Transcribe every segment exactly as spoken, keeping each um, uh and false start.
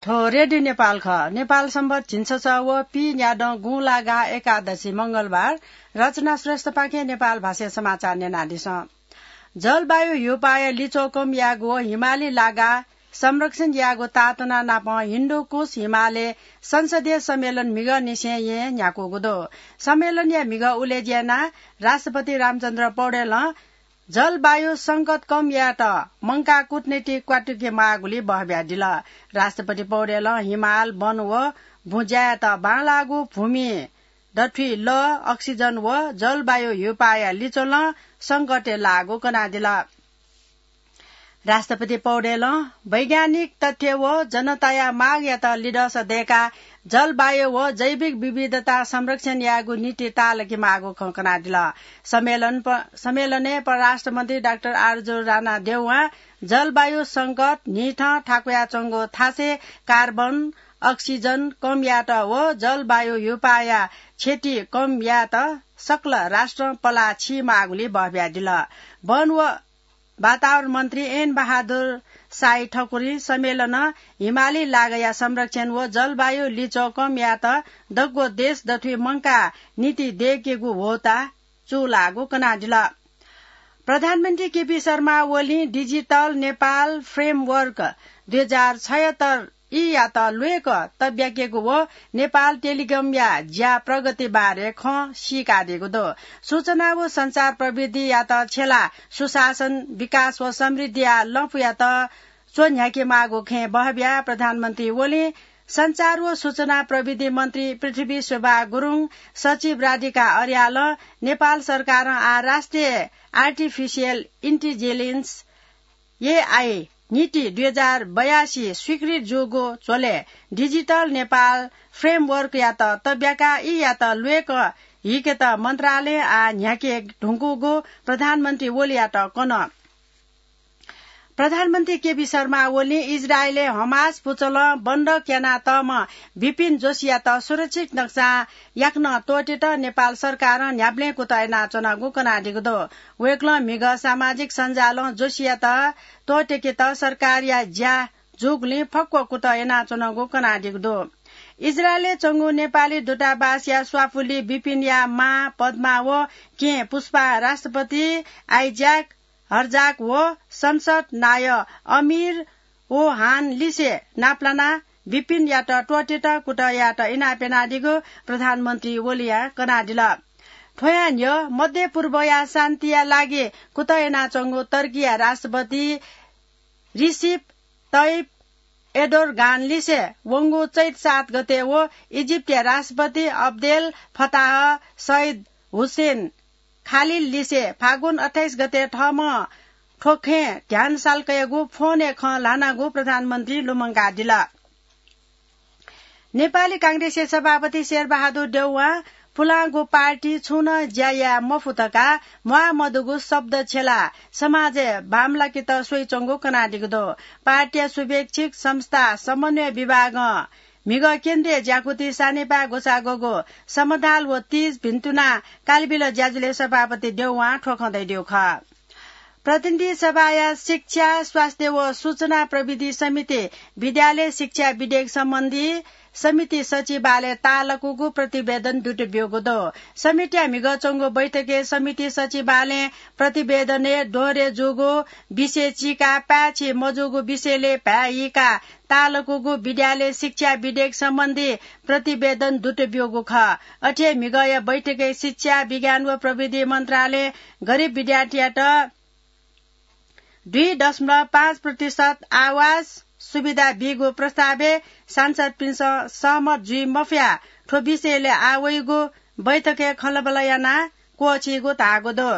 थ्व रेडियो नेपाल खः। नेपाल सम्बत झिंछसः व पीन्यादँ गुंलागा एकादशी मंगलबार। रचना श्रेष्ठपाखें नेपाल भाषाय् समाचार न्यनादिसँ। जलवायु ह्यूपाःया लिच्वः कम यायेगु व हिमाली लागा संरक्षण यायेगु ताःतना नाप हिन्दुकुश हिमालय संसदीय सम्मेलन म्हिगःनिसें येँ न्ह्याकूगु दु। सम्मेलनया म्हिगः उलेज्या यानाः राष्ट्रपति रामचन्द्र पौडेलं जलवायु संकट कम यायेत मंकाः कूटनीति क्वातुके माःगुलिइ बहबियादिल। राष्ट्रपति पौडेलं हिमाल, वन व बुँज्यायात बांलाःगु भूमि दथुइ लः, अक्सिजन व जलवायु ह्यूपाःया लिच्वलं संकटय् लाःगु कनादिल। राष्ट्रपति पौडेलं वैज्ञानिक तथ्य व जनताया मागयात लिधंसा दय्काः जलवायु व जैविक विविधता संरक्षण यायेगु नीति ताःलाके माःगु खँ कनादिल। सम्मेलन प-, सम्मेलनय् परराष्ट्र मन्त्री डाक्टर आरजु राणा देउवां जलवायु संकट, न्हिथं थाकुयाच्वंगु थासय् कार्बन, अक्सिजन कम यायेत व जलवायु ह्यूपाःया क्षति कम यायेत सकल राष्ट्रं पलाः छि माःगुलिइ बहबियादिल। वन व वातावरण मन्त्री एन बहादुर साई ठकुरी सम्मेलनं हिमाली लागया संरक्षण व जलवायु लिच्वः कम यायेत दक्व देश दथुइ मंकाः नीति दय्केगु ह्वःताः चूलाःगु कनादिल। प्रधानमन्त्री केपी शर्मा ओलीं डिजिटल नेपाल फ्रेमवर्क दुई हजार छयत्तर ईयात ल्वय्क तब्याकेगु व नेपाल टेलिकमया ज्या प्रगति बारे खँ सीकादीगु दु। सूचना व सञ्चार प्रविधियात छ्यलाः सुशासन, विकास व समृद्धिया लँपुयात च्वन्ह्याके माःगु खँय् बहबियाः प्रधानमन्त्री ओलीं सञ्चार व सूचना प्रविधि मन्त्री पृथ्वी शोभा गुरुङ, सचिव राधिका अर्यालं नेपाल सरकारं आः राष्ट्रिय आर्टिफिसियल इन्टिजेलिन्स, एआई, नीति दुई हजार बयासी स्वीकृत जूगु झ्वलय् डिजिटल नेपाल फ्रेमवर्कयात तब्याकाः ईयात ल्वय्क हीकेत मन्त्रालयं आः न्ह्याके धुंकूगु प्रधानमन्त्री ओलीयात कन। प्रधानमन्त्री केपी शर्मा ओलीं इजरायलय् हमास पुचलं बन्धक यानातःम्ह बिपिन जोशीयात सुरक्षित नक्सां याकनं त्वःतेत नेपाल सरकारं न्ह्याबलें कुतः यानाच्वनागु कनादीगु दु। वय्कलं म्हिगः सामाजिक सञ्जालं जोशीयात त्वःतेकेत सरकारया ज्या जूगुलिं फक्व कुतः यानाच्वनागु कनादीगु दु। इजरायलय् च्वंगु नेपाली दूतावासया स्वापुलि बिपिनया मां पद्मा व केहेँ पुष्पां राष्ट्रपति आइज्याक हर्जाग व संसद नायः अमिर ओहान लिसे नापलानाः बिपिनयात त्वःतेत कुतः यायेत इनाप यानादीगु प्रधानमन्त्री ओलीया कनादिल। थ्वयां न्ह्यः मध्य पूर्वया शान्तिया लागि कुतः यानाच्वंगु तर्कीया राष्ट्रपति रिसिप तय्यप एर्दोगान लिसे वंगु चैत सात गते व इजिप्टया राष्ट्रपति अब्देल फताह सैद हुसेन खालिल लिसे फागुन अट्ठाइस गते थःम्हं थ्व खँय् ध्यान साल्कयागु फोनय् खँ ल्हानागु प्रधानमन्त्रीं लुमंकादिल। नेपाली कांग्रेसया सभापति शेरबहादुर देउवां पुलांगु पार्टी छुं नं ज्या याये मफु धकाः म्वाः मदुगु शब्द छ्यलाः समाजय् बांमलाकेत स्वइच्वंगु कनादीगु दु। पार्टीया शुभेच्छुक संस्था समन्वय विभागं म्हिगः केन्द्रीय ज्याकुथि सानिपाय् ग्वसाः ग्वःगु समधाल व तीज भिन्तुना कालिबिल ज्याझ्वलय् सभापति देउवां थ्व खँ धयादीगु खः। प्रतिनिधि सभाया शिक्षा, स्वास्थ्य व सूचना प्रविधि समितिं विद्यालय शिक्षा विधेयक सम्बन्धी समिति सचिवालय ताःलाकूगु प्रतिवेदन दुत ब्यूगु दु। समितिया म्हिगः च्वंगु बैठकय् समिति सचिवालयं प्रतिवेदनय् दोहोरे जूगु विषय चीकाः पाय्छि मजूगु विषयलय् भाय् हीकाः ताःलाकूगु विद्यालय शिक्षा विधेयक सम्बन्धी प्रतिवेदन दुत ब्यूगु खः। अथे हे म्हिगःया बैठकय् शिक्षा, विज्ञान व प्रविधि मन्त्रालयं गरिब विद्यार्थीयात दुई दशमलव पाँच प्रतिशत आवास सुविधा बीगु प्रस्तावय् सांसदपिन्सं सहमत जुइ मफयाः थ्व विषयलय् आः वइगु बैठकय् खँल्हाबल्हा यानाः क्वःछीगु धाःगु दु।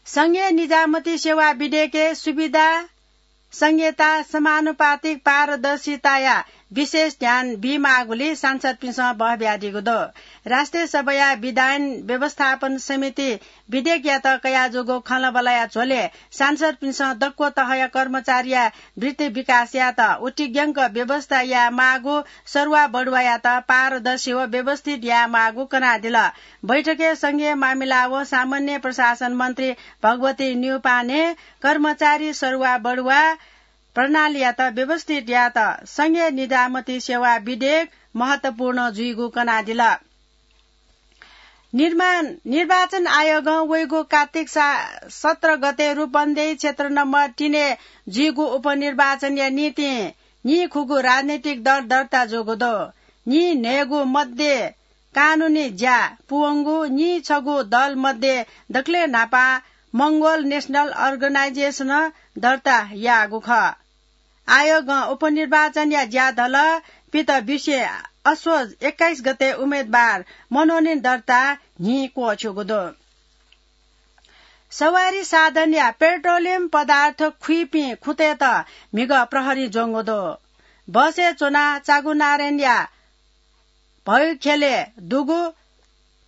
संघीय निजामती सेवा विधेयकय् सुविधा, संघीयता, समानुपातिक, पारदर्शिताया विशेष ध्यान बीमाःगुलिइ सांसदपिन्सं बहबियादीगु दु। राष्ट्रिय सभाया विधायन व्यवस्थापन समितिं विधेयकयात कयाजूगु खँल्हाबल्हाया झ्वलय् सांसदपिन्सं दक्व तहया कर्मचारीया वृत्ति विकास यायेत उतिग्यंक व्यवस्था यायेमाःगु, सरुवा बढुवायात पारदर्शी व व्यवस्थित यायेमाःगु कनादिल। बैठकय् संघीय मामिला व सामान्य प्रशासन मन्त्री भगवती न्यौपाने, कर्मचारी सरुवा बढुवा, प्रणालीयात व्यवस्थित यायेत संघीय निजामती सेवा विधेयक महत्वपूर्ण जुइगु कनादिल। निर्माण, निर्वाचन आयोगं वइगु कार्तिक सा-, सत्र गते रूपन्देही क्षेत्र नम्बर तीनय् जुइगु उपनिर्वाचनया निंतिं नीखुगू राजनैतिक दल दर्ता जूगु दु। नीन्हय्गू मध्ये कानूनी ज्या पूवंगु नीछगू दल मध्ये दकलय् न्हापां मंगोल नेशनल अर्गनाइजेसनं दर्ता याःगु खः। आयोगं उपनिर्वाचनया ज्याधलः पित बिसे असोज एक्काइस गते उम्मेदवार मनोनयन दर्ता न्हि क्वःछ्यूगु दु। सवारी साधनया पेट्रोलियम पदार्थ खुइपिं खुँतय्त म्हिगः प्रहरी ज्वंगु दु। बसय् च्वनाः चागुनारायणया भैखेलय् दुगु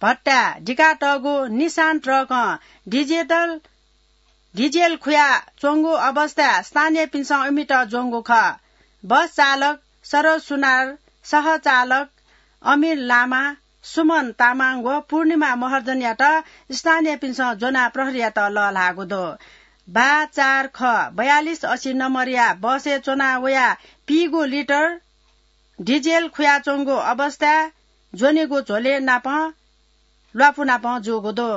भट्टाय् दिकातःगु निसान ट्रकं डिजिटल, डिजेल खुयाच्वंगु अवस्थाय् स्थानीयपिन्सं इमित ज्वंगु खः। बस चालक सरोज सुनार, सहचालक अमिर लामा, सुमन तामाङ व पूर्णिमा महर्जनयात स्थानीयपिन्सं ज्वनाः प्रहरीयात लःल्हाःगु दु। बा चार ख बयालिस असी नम्बरया बसय् च्वना वयाः पीगु लिटर डिजेल खुयाच्वंगु अवस्थाय् ज्वनेगु झ्वलय् नापं ल्वापुनापं जूगु दु।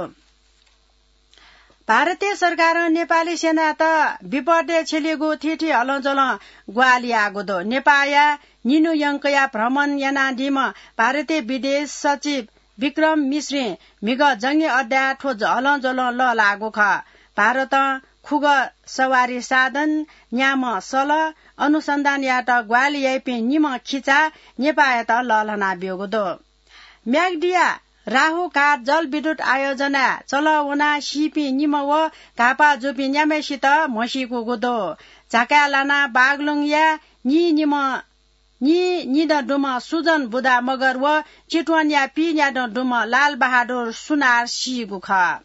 भारतीय सरकारं नेपाली सेनायात विपदय् छ्यलीगु थीथी हलंज्वलं ग्वाहालि याःगु दु। नेपाःया निन्हु यंकया भ्रमण यानादीम्ह भारतीय विदेश सचिव विक्रम मिश्रीं म्हिगः जंगी अड्डाय् थ्व हलंज्वलं लःल्हाःगु खः। भारतं खुगः सवारी साधन, न्याम्ह सल, अनुसन्धान यायेत ग्वाहालि याइपिं निम्ह खिचा नेपाःयात लःल्हाना ब्यूगु दु। म्याग्दीया राहुघाट जलविद्युत आयोजनाय् चलः वनाः सीपिं निम्ह व घाःपाः जूपिं न्याम्हय्सित म्हसीकूगु दु। झाकाय् लानाः बागलुङया नीनिम्ह, नीनिदँ दुम्ह सुजन बुधा मगर व चितवनया पीन्यादँ दुम्ह लाल बहादुर सुनार सीगु खः।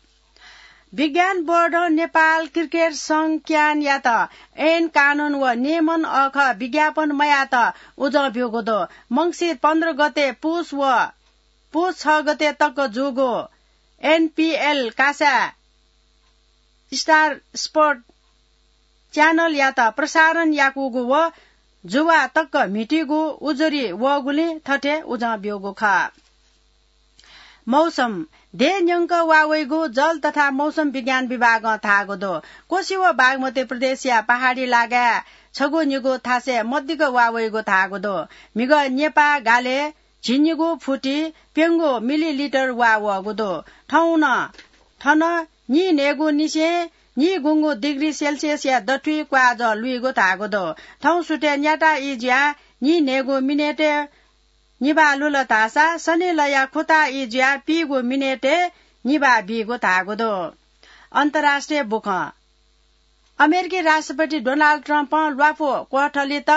विज्ञान बोर्डं नेपाल क्रिकेट संघ क्यानयात ऐन कानून व नियमन अःखः विज्ञापन मयायेत उजं ब्यूगु दु। मंसिर पन्ध्र गते पुस व पुस छ गते तक जूगु एनपीएल कासाय् स्टार स्पोर्ट च्यानलयात प्रसारण याकूगु व जुवा तक म्हितीगु उजुरी वःगुलिं थथे उजं ब्यूगु खः। मौसम, देय् न्यंक वा वइगु जल तथा मौसम विज्ञान विभागं धाःगु दु। कोशी व बागमती प्रदेशया पहाडी लागाय् छगू निगू थासय् मदिक्क वा वइगु धाःगु दु। म्हिगः नेपाः गालय् झिंनिगू फुति प्यंगू मिलिलिटर वा वःगु दु। थौं नं थन नीन्हय्गू निसें नीगुंगू डिग्री सेल्सियसया दथुइ क्वाःजः लुइगु धाःगु दु। थौं सुथय् न्याता ई जुयाः नीन्हय्गू मिनेटय् निभाः लुल धाःसा शनिलया खुता ई जुयाः पीगू मिनेटय् निभाः बीगु धाःगु दु। अन्तर्राष्ट्रिय बुखँ। अमेरिकी राष्ट्रपति डोनाल्ड ट्रम्पं ल्वापु क्वथलीत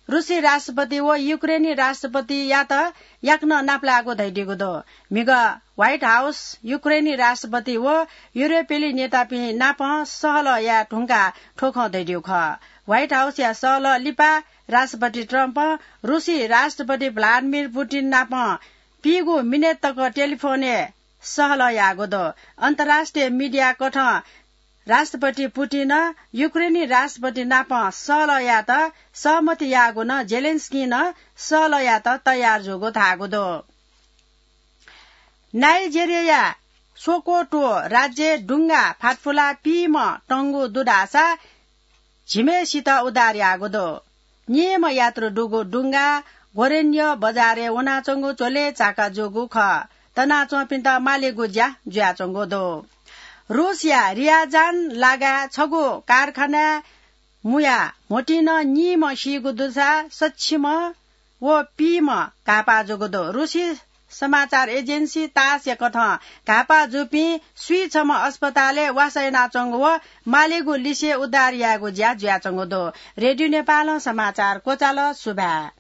रुसी राष्ट्रपति व युक्रेनी राष्ट्रपतियात याकनं नापलायेगु धयादीगु दु। म्हिगः व्हाइट हाउस युक्रेनी राष्ट्रपति व युरोपेली नेतापिं नाप सहलह याये धुंकाः थ्व खँ धयादीगु खः। व्हाइट हाउसया सहलह लिपा राष्ट्रपति ट्रम्पं रुसी राष्ट्रपति भ्लादिमिर पुतिन नाप पीगू मिनेट तक टेलिफोनय् सहलह याःगु दु। अन्तर्राष्ट्रिय मिडिया कथं राष्ट्रपति पुतिनं युक्रेनी राष्ट्रपति नाप सहलह यायेत सहमति याःगु नं जेलेन्स्कीं नं सहलह यायेत तयार जूगु धाःगु दु। नाइजेरियाया सोकोटो राज्यय् डुंगा फातफुला पीम्ह तंगु दु धाःसा झिम्हय्सित उद्धार याःगु दु। निम्ह यात्रु दुगु डुंगा गोरेन्य बजारय् वनाच्वंगु झ्वलय् झाका जूगु खः। तनाच्वंपिन्त मालेगु ज्या जुयाच्वंगु दु। रुसया रियाजान लागाय् छगू कारखानाय् मुयाः म्होतिं नं निम्ह सीगु दुसा सछिम्ह व पीम्ह घाःपाः जूगु दु। रुसी समाचार एजेन्सी तासया कथं घाःपाः जूपिं स्वीछम्ह अस्पतालय् वासः यानाच्वंगु व मालेगु लिसे उद्धार यायेगु ज्या जुयाच्वंगु दु। रेडियो नेपालं समाचार क्वचाल। सुभाय्।